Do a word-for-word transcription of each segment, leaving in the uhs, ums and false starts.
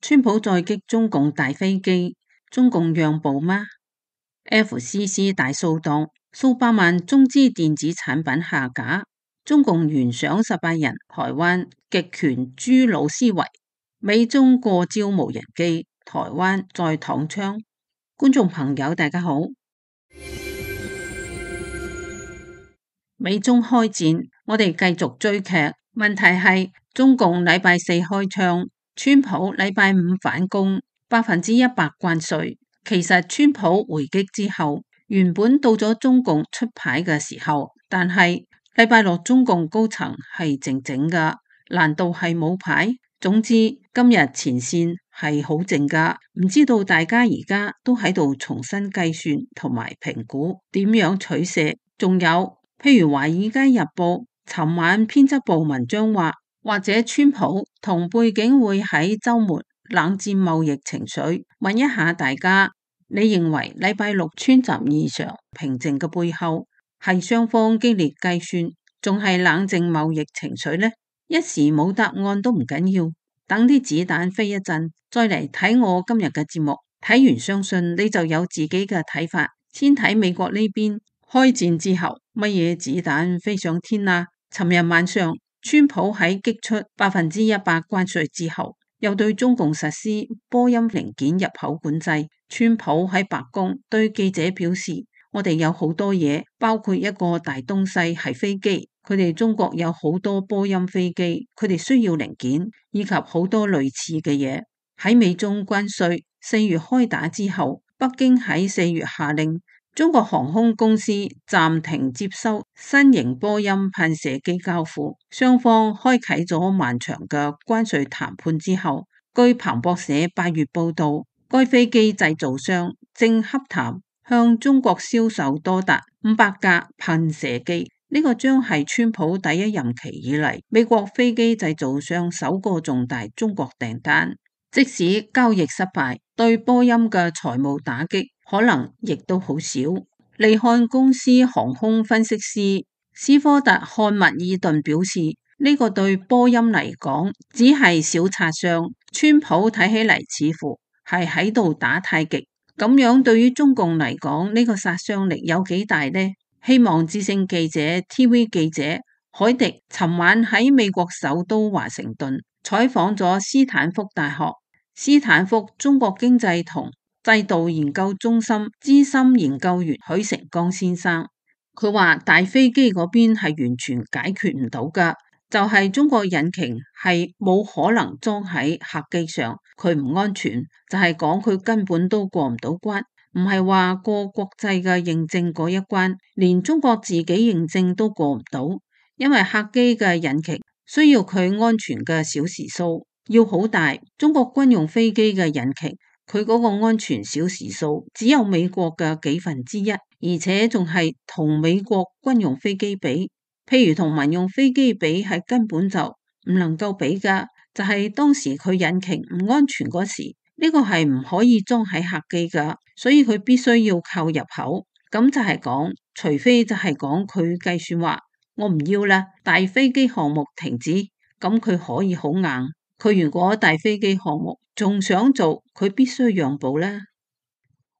川普再擊中共大飛機，中共讓步嗎 ？F C C 大掃蕩，數百萬中資電子產品下架，中共懸賞十八人，台灣極權豬腦思維，美中過招無人機，台灣再躺槍。觀眾朋友大家好。美中開戰，我哋繼續追劇。問題係中共禮拜四開槍，川普禮拜五反攻，百分之一百關稅。其實川普回擊之後，原本到咗中共出牌嘅時候，但係禮拜六中共高層係靜靜噶，難道係冇牌？總之今日前線係好靜噶，唔知道大家而家都喺度重新計算同埋評估點樣取捨，仲有。譬如《華爾街日報》尋晚編輯部文章話，或者川普同背景會喺週末冷戰貿易情緒。問一下大家，你認為禮拜六川習異常平靜嘅背後係雙方激烈計算，仲係冷靜貿易情緒呢？一時冇答案都唔緊要，等啲子彈飛一陣，再嚟睇我今日嘅節目。睇完相信你就有自己嘅睇法。先睇美國呢邊。開戰之後，乜嘢子彈飛上天啊？尋日晚上，川普喺擊出百分之一百關稅之後，又對中共實施波音零件入口管制。川普喺白宮對記者表示：我哋有好多嘢，包括一個大東西係飛機，佢哋中國有好多波音飛機，佢哋需要零件，以及好多類似嘅嘢。喺美中關稅四月開打之後，北京喺四月下令。中國航空公司暫停接收新型波音噴射機交付，雙方開啟咗漫長嘅關稅談判之後，據彭博社八月報道，該飛機製造商正洽談向中國銷售多達五百架噴射機，呢、這個將係川普第一任期以嚟美國飛機製造商首個重大中國訂單。即使交易失敗，對波音嘅財務打擊可能亦都好少。利漢公司航空分析師斯科特漢密爾頓表示，呢、這個對波音嚟講只係小擦傷，川普睇起嚟似乎係喺度打太極，咁樣對於中共嚟講呢個殺傷力有幾大呢？希望之聲記者 T V 記者海迪尋晚喺美國首都華盛頓採訪咗斯坦福大學斯坦福中國經濟同制度研究中心資深研究員許成剛先生，佢話大飛機嗰邊係完全解決唔到噶，就係、是、中國引擎係冇可能裝喺客機上，佢唔安全，就係講佢根本都過唔到關，唔係話過國際嘅認證嗰一關，連中國自己認證都過唔到，因為客機嘅引擎需要佢安全嘅小時數。要好大，中國軍用飛機嘅引擎，佢嗰個安全小時數只有美國嘅幾分之一，而且仲係同美國軍用飛機比，譬如同民用飛機比係根本就唔能夠比噶。就係、是、當時佢引擎唔安全嗰時，呢、這個係唔可以裝喺客機噶，所以佢必須要靠入口。咁就係講，除非就係講佢計算話，我唔要啦，大飛機項目停止，咁佢可以好硬。佢如果大飛機項目仲想做，佢必須讓步啦。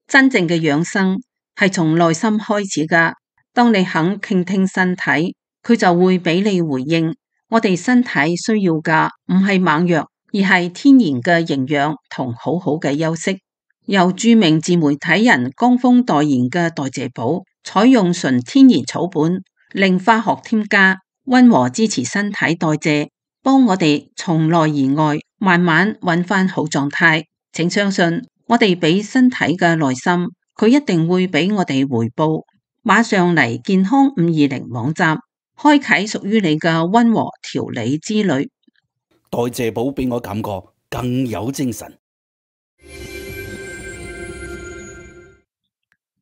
真正嘅養生係從內心開始噶。當你肯傾聽身體，佢就會俾你回應。我哋身體需要噶唔係猛藥，而係天然嘅營養同好好嘅休息。由著名自媒體人江峰代言嘅代謝寶，採用純天然草本，零化學添加，溫和支持身體代謝。幫我哋從內而外慢慢揾翻好狀態，請相信我哋俾身體嘅耐心，佢一定會俾我哋回報。馬上嚟健康五二零網站，開啟屬於你嘅溫和調理之旅。代謝寶俾我感覺更有精神。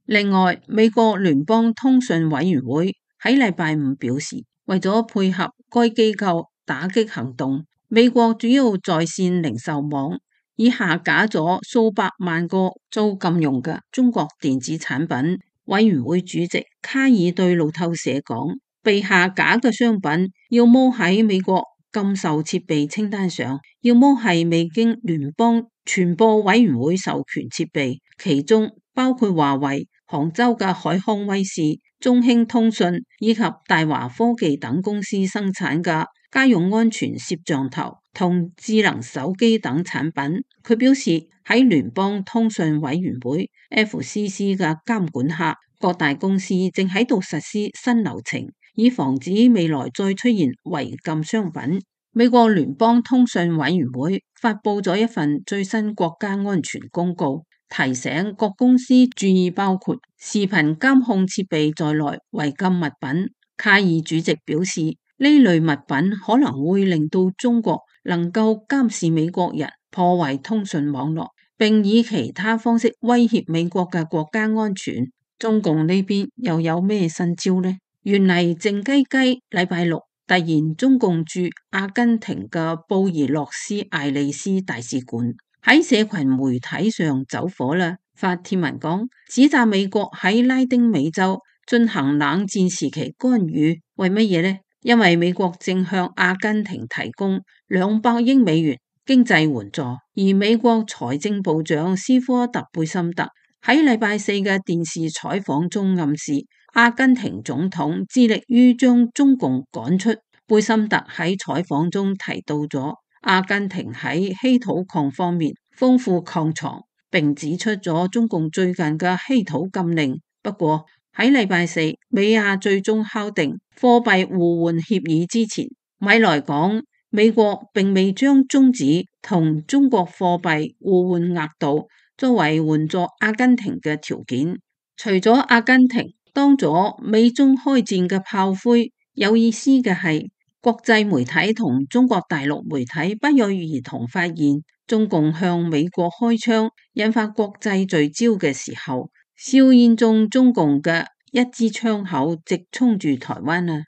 另外，美國聯邦通訊委員會喺禮拜五表示，為咗配合該機構打擊行動，美國主要在線零售網已下架咗數百萬個遭禁用嘅中國電子產品。委員會主席卡爾對路透社講，被下架嘅商品要麼喺美國禁售設備清單上，要麼係未經聯邦傳播委員會授權設備，其中包括華為、杭州嘅海康威視、中興通訊以及大華科技等公司生產嘅家用安全攝像頭同智能手機等產品。佢表示喺聯邦通訊委員會 F C C 嘅監管下，各大公司正喺度實施新流程，以防止未來再出現違禁商品。美國聯邦通訊委員會發佈咗一份最新國家安全公告，提醒各公司注意包括視頻監控設備在內違禁物品。卡爾主席表示，呢類物品可能會令到中國能夠監視美國人，破壞通訊網絡，並以其他方式威脅美國嘅國家安全。中共呢邊又有咩新招呢？原嚟靜雞雞禮拜六突然中共駐阿根廷嘅布宜諾斯艾利斯大使館喺社群媒體上走火啦，發帖文講指責美國喺拉丁美洲進行冷戰時期干預，為乜嘢呢？因為美國正向阿根廷提供兩百億美元經濟援助，而美國財政部長斯科特貝森特喺禮拜四嘅電視採訪中暗示，阿根廷總統致力於將中共趕出。貝森特喺採訪中提到咗阿根廷喺稀土礦方面豐富礦藏，並指出咗中共最近嘅稀土禁令。不過喺禮拜四，美亞最終敲定貨幣互換協議之前，米萊講美國並未將終止同中國貨幣互換額度作為援助阿根廷嘅條件。除咗阿根廷當咗美中開戰嘅炮灰，有意思嘅係國際媒體同中國大陸媒體不約而同發現，中共向美國開槍引發國際聚焦嘅時候，硝煙中中共嘅一支槍口直衝住台灣啊！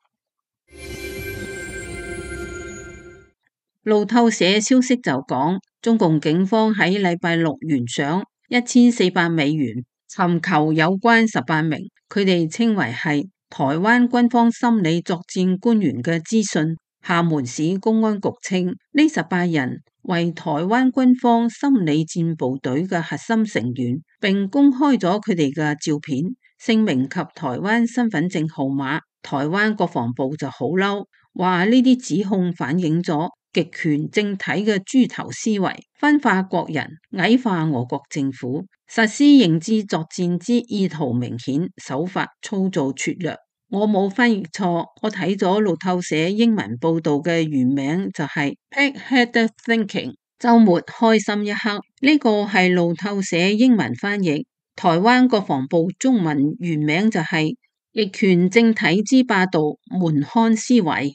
路透社消息就講，中共警方喺禮拜六懸賞一千四百美元，尋求有關十八名佢哋稱為係台灣軍方心理作戰官員嘅資訊。廈門市公安局稱，呢十八人為台灣軍方心理戰部隊嘅核心成員，並公開咗佢哋嘅照片、姓名及台灣身份證號碼。台灣國防部就好嬲，話呢啲指控反映咗極權政體嘅豬頭思維，分化國人，矮化我國政府，實施認知作戰之意圖明顯，手法粗糙拙劣。我冇翻譯錯，我睇咗路透社英文報道嘅原名就係 Pig-headed Thinking， 週末開心一刻。呢個係路透社英文翻譯，台灣國防部中文原名就係極權政體之霸道門閂思維。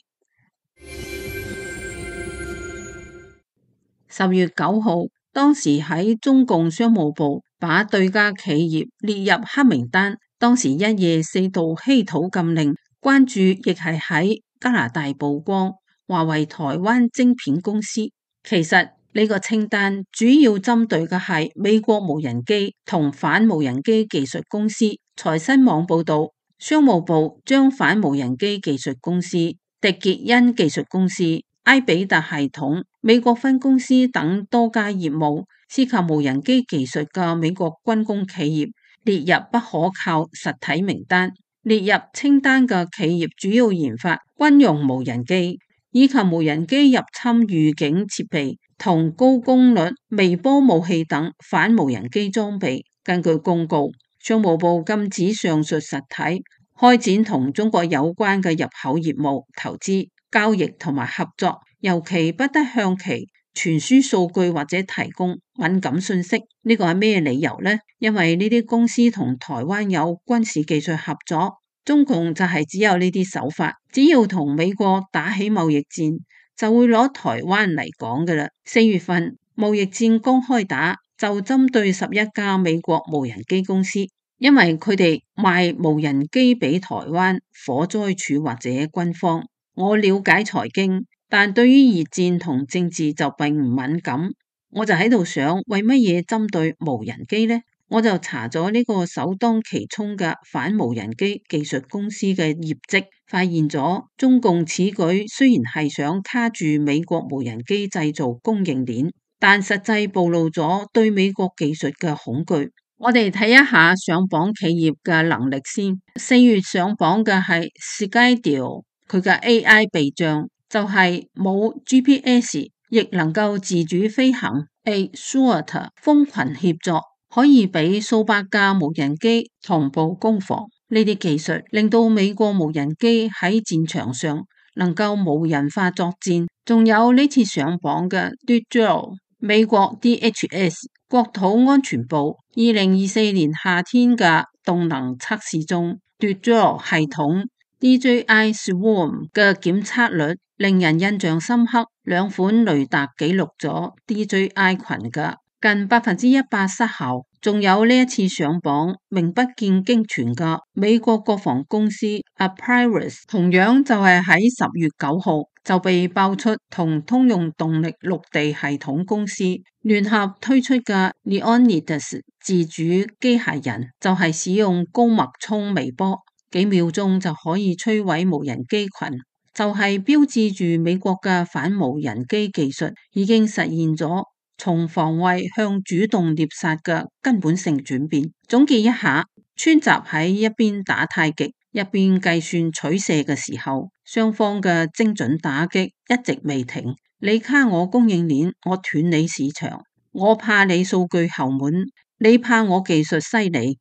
十月九號，當時喺中共商務部把對家企業列入黑名單。當時一夜四道稀土禁令，關注亦係喺加拿大曝光，華為台灣晶片公司。其實呢個清單主要針對嘅係美國無人機同反無人機技術公司。財新網報道，商務部將反無人機技術公司、迪傑恩技術公司、埃比達系統、美國分公司等多家業務涉及無人機技術嘅美國軍工企業列入不可靠實體名單。列入清單嘅企業主要研發軍用無人機以及無人機入侵預警設備同高功率微波武器等反無人機裝備。根據公告，商務部禁止上述實體開展同中國有關嘅入口業務、投資、交易同埋合作，尤其不得向其傳輸數據或者提供敏感信息。呢個係咩理由呢？因為呢啲公司同台灣有軍事技術合作，中共就係只有呢啲手法，只要同美國打起貿易戰，就會攞台灣嚟講㗎喇。四月份貿易戰剛開打，就針對十一家美國無人機公司，因為佢哋賣無人機俾台灣火災處或者軍方。我了解財經，但對於熱戰同政治就並唔敏感，我就喺度想，為乜嘢針對無人機呢？我就查咗呢個首當其衝嘅反無人機技術公司嘅業績，發現咗中共此舉雖然係想卡住美國無人機製造供應鏈，但實際暴露咗對美國技術嘅恐懼。我哋睇一下上榜企業嘅能力先。四月上榜嘅係 Skydio， 佢嘅 A I 避障就係冇 G P S， 亦能夠自主飛行。Azure 蜂群協作，可以俾數百架無人機同步攻防。呢啲技術令到美國無人機喺戰場上能夠無人化作戰。仲有呢次上榜嘅 Decodr， 美國 D H S 國土安全部二零二四年夏天嘅動能測試中， Decodr 系統 D J I Swarm 嘅檢測率令人印象深刻。兩款雷達記錄咗 D J I 群嘅近百分之一百失效。仲有呢一次上榜名不見經傳嘅美國國防公司 Apprius， 同樣就係喺十月九號就被爆出同通用動力陸地系統公司聯合推出嘅 Leonidas 自主機械人，就係使用高脈衝微波，幾秒鐘就可以摧毀無人機群，就係標誌住美國嘅反無人機技術已經實現咗從防衛向主動獵殺嘅根本性轉變。總結一下，川習喺一邊打太極，一邊計算取捨嘅時候，雙方嘅精準打擊一直未停。你卡我供應鏈，我斷你市場，我怕你數據後門，你怕我技術犀利。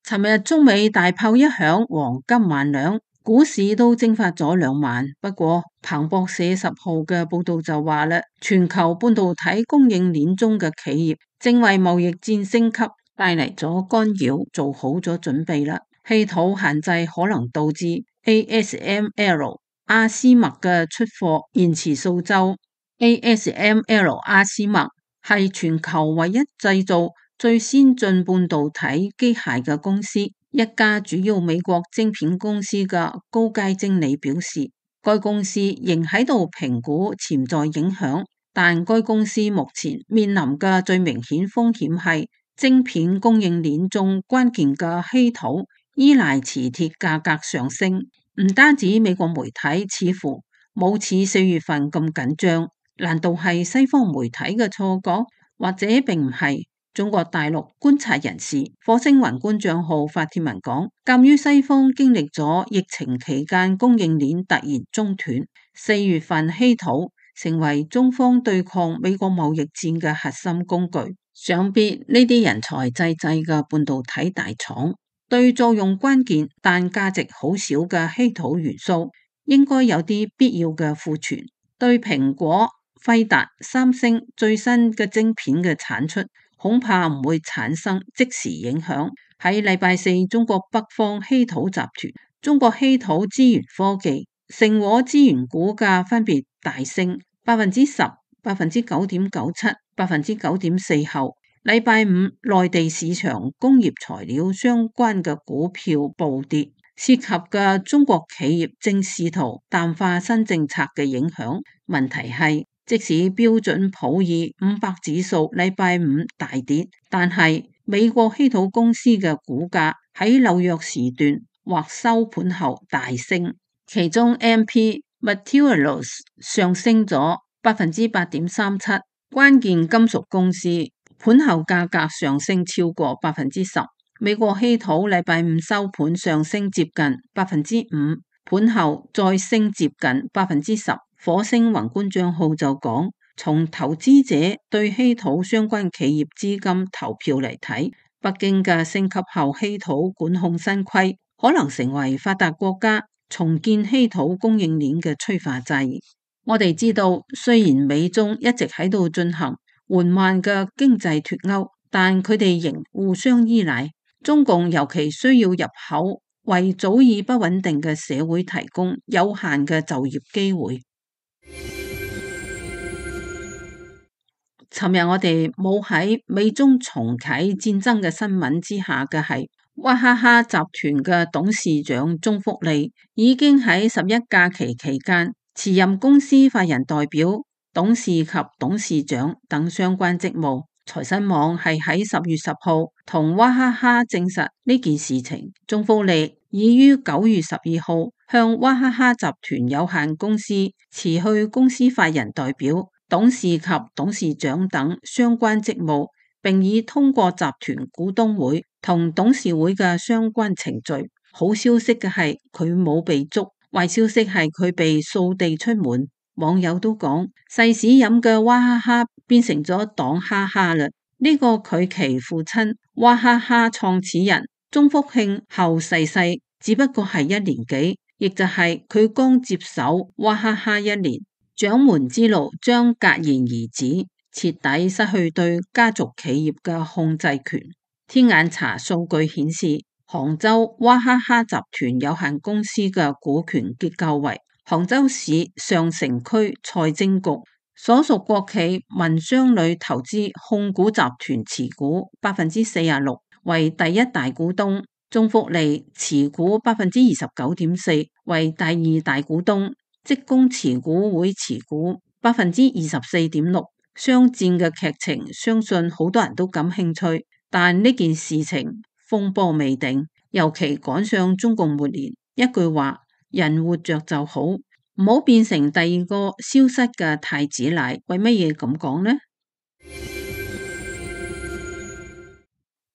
尋日中美大炮一響，黃金萬兩，股市都蒸發咗兩萬。不過彭博社十號嘅報道就話啦，全球半導體供應鏈中嘅企業正為貿易戰升級帶嚟咗干擾，做好咗準備啦。稀土限制可能導致 A S M L 阿斯麥嘅出貨延遲數週。A S M L 阿斯麥係全球唯一製造最先進半導體機械嘅公司，一家主要美國晶片公司嘅高階經理表示，該公司仍喺度評估潛在影響，但該公司目前面臨嘅最明顯風險係晶片供應鏈中關鍵嘅稀土依賴磁鐵價格上升。唔單止美國媒體似乎冇似四月份咁緊張，難道係西方媒體嘅錯覺，或者並唔係？中國大陸觀察人士火星雲觀賬號發帖文講，鑒於西方經歷咗疫情期間供應鏈突然中斷，四月份稀土成為中方對抗美國貿易戰嘅核心工具。想必呢啲人才濟濟嘅半導體大廠，對作用關鍵但價值好少嘅稀土元素，應該有啲必要嘅庫存，對蘋果、輝達、三星最新嘅晶片嘅產出恐怕唔會產生即時影響。喺禮拜四，中國北方稀土集團、中國稀土資源科技、成和資源股價分別大升百分之十、百分之九點九七、百分之九點四後。禮拜五，內地市場工業材料相關嘅股票暴跌，涉及嘅中國企業正試圖淡化新政策嘅影響。問題係，即使標準普爾五百指數禮拜五大跌，但係美國稀土公司嘅股價喺紐約時段或收盤後大升，其中 M P Materials 上升咗百分之八點三七，關鍵金屬公司盤後價格上升超過百分之十。美國稀土禮拜五收盤上升接近百分之五，盤後再升接近百分之十。火星宏觀賬號就講，從投資者對稀土相關企業資金投票嚟睇，北京嘅升級後稀土管控新規可能成為發達國家重建稀土供應鏈嘅催化劑。我哋知道，雖然美中一直喺度進行緩慢嘅經濟脫鈎，但佢哋仍互相依賴。中共尤其需要入口，為早已不穩定嘅社會提供有限嘅就業機會。尋日我哋冇喺美中重啟戰爭嘅新聞之下嘅係，娃哈哈集團嘅董事長鍾福利已經喺十一假期期間辭任公司法人代表，董事及董事長等相關職務。財新網係喺十月十號同娃哈哈證實呢件事情。中福利已於九月十二號向娃哈哈集團有限公司辭去公司法人代表、董事及董事長等相關職務，並已通過集團股東會同董事會嘅相關程序。好消息嘅係佢冇被捉，壞消息係佢被掃地出門。網友都講細屎飲嘅娃哈哈變成咗黨哈哈啦。呢個佢其父親娃哈哈創始人中福慶後逝世，只不過係一年幾，亦就係佢剛接手娃哈哈一年，掌門之路將戛然而止，徹底失去對家族企業嘅控制權。天眼查數據顯示，杭州娃哈哈集團有限公司嘅股權結構為杭州市上城區財政局所屬國企民商旅投資控股集團持股百分之四十六，為第一大股東；中福利持股百分之二十九點四，為第二大股東；職工持股會持股百分之二十四點六。商戰嘅劇情，相信好多人都感興趣，但呢件事情風波未定，尤其趕上中共末年，一句話。人活着就好，唔好變成第二個消失嘅太子奶。為乜嘢咁講呢？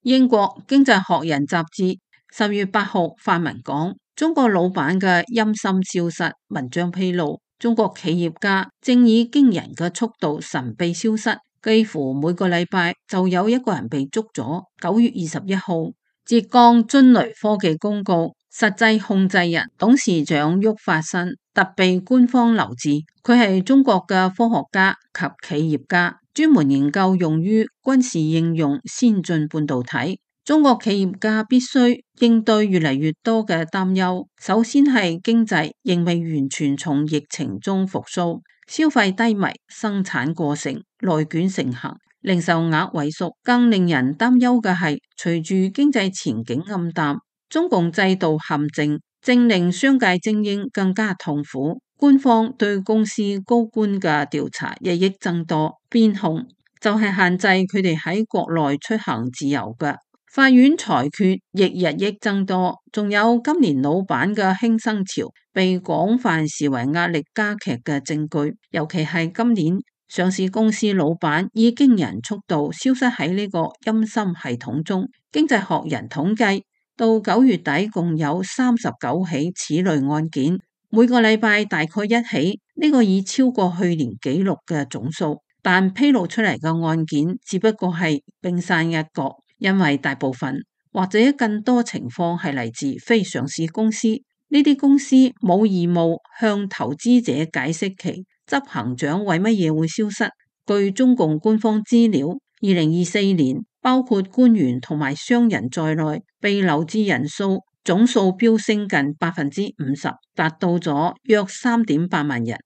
英國經濟學人雜誌十月八號發文講，中國老闆嘅陰森消失。文章披露，中國企業家正以驚人嘅速度神秘消失，幾乎每個禮拜就有一個人被捉咗。九月二十一號，浙江臻雷科技公告，實際控制人董事長郁發新特被官方留置。佢係中國嘅科學家及企業家，專門研究用於軍事應用先進半導體。中國企業家必須應對越嚟越多嘅擔憂。首先係經濟仍未完全從疫情中復甦，消費低迷，生產過剩，內卷盛行，零售額萎縮。更令人擔憂嘅係，隨住經濟前景暗淡，中共制度陷阱正令商界精英更加痛苦。官方對公司高官嘅調查日益增多，邊控就係限制佢哋喺國內出行自由嘅。法院裁決亦日益增多，仲有今年老闆嘅輕生潮被廣泛視為壓力加劇嘅證據。尤其係今年上市公司老闆以驚人速度消失喺呢個陰森系統中。經濟學人統計，到九月底共有三十九起此類案件，每個禮拜大概一起，呢個已超過去年紀錄嘅總數。但披露出嚟嘅案件只不過係冰山一角，因為大部分或者更多情況係嚟自非上市公司。呢啲公司冇義務向投資者解釋其執行長為乜嘢會消失。據中共官方資料，二零二四年包括官員同埋商人在內被留置人數總數飆升近百分之五十，達到咗約三點八萬人。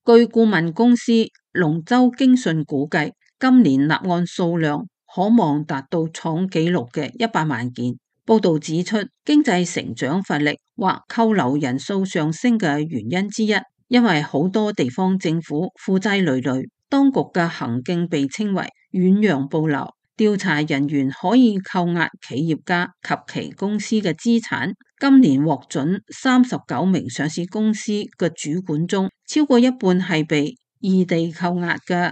據顧問公司龍舟經訊估計，今年立案數量可望達到創紀錄嘅一百萬件。報道指出，經濟成長乏力或扣留人數上升嘅原因之一，因為好多地方政府負債累累，當局嘅行徑被稱為遠洋捕撈。調查人員可以扣押企業家及其公司嘅資產。今年獲准三十九名上市公司嘅主管中，超過一半係被異地扣押嘅。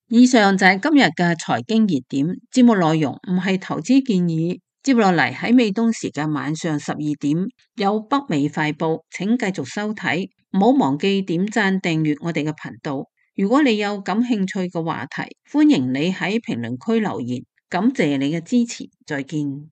以上就係今日嘅財經熱點。節目內容唔係投資建議。接落嚟喺美東時間晚上十二點有北美快報，請繼續收睇。唔好忘記點讚訂閱我哋嘅頻道。如果你有感興趣嘅話題，歡迎你喺評論區留言。感謝你嘅支持，再見。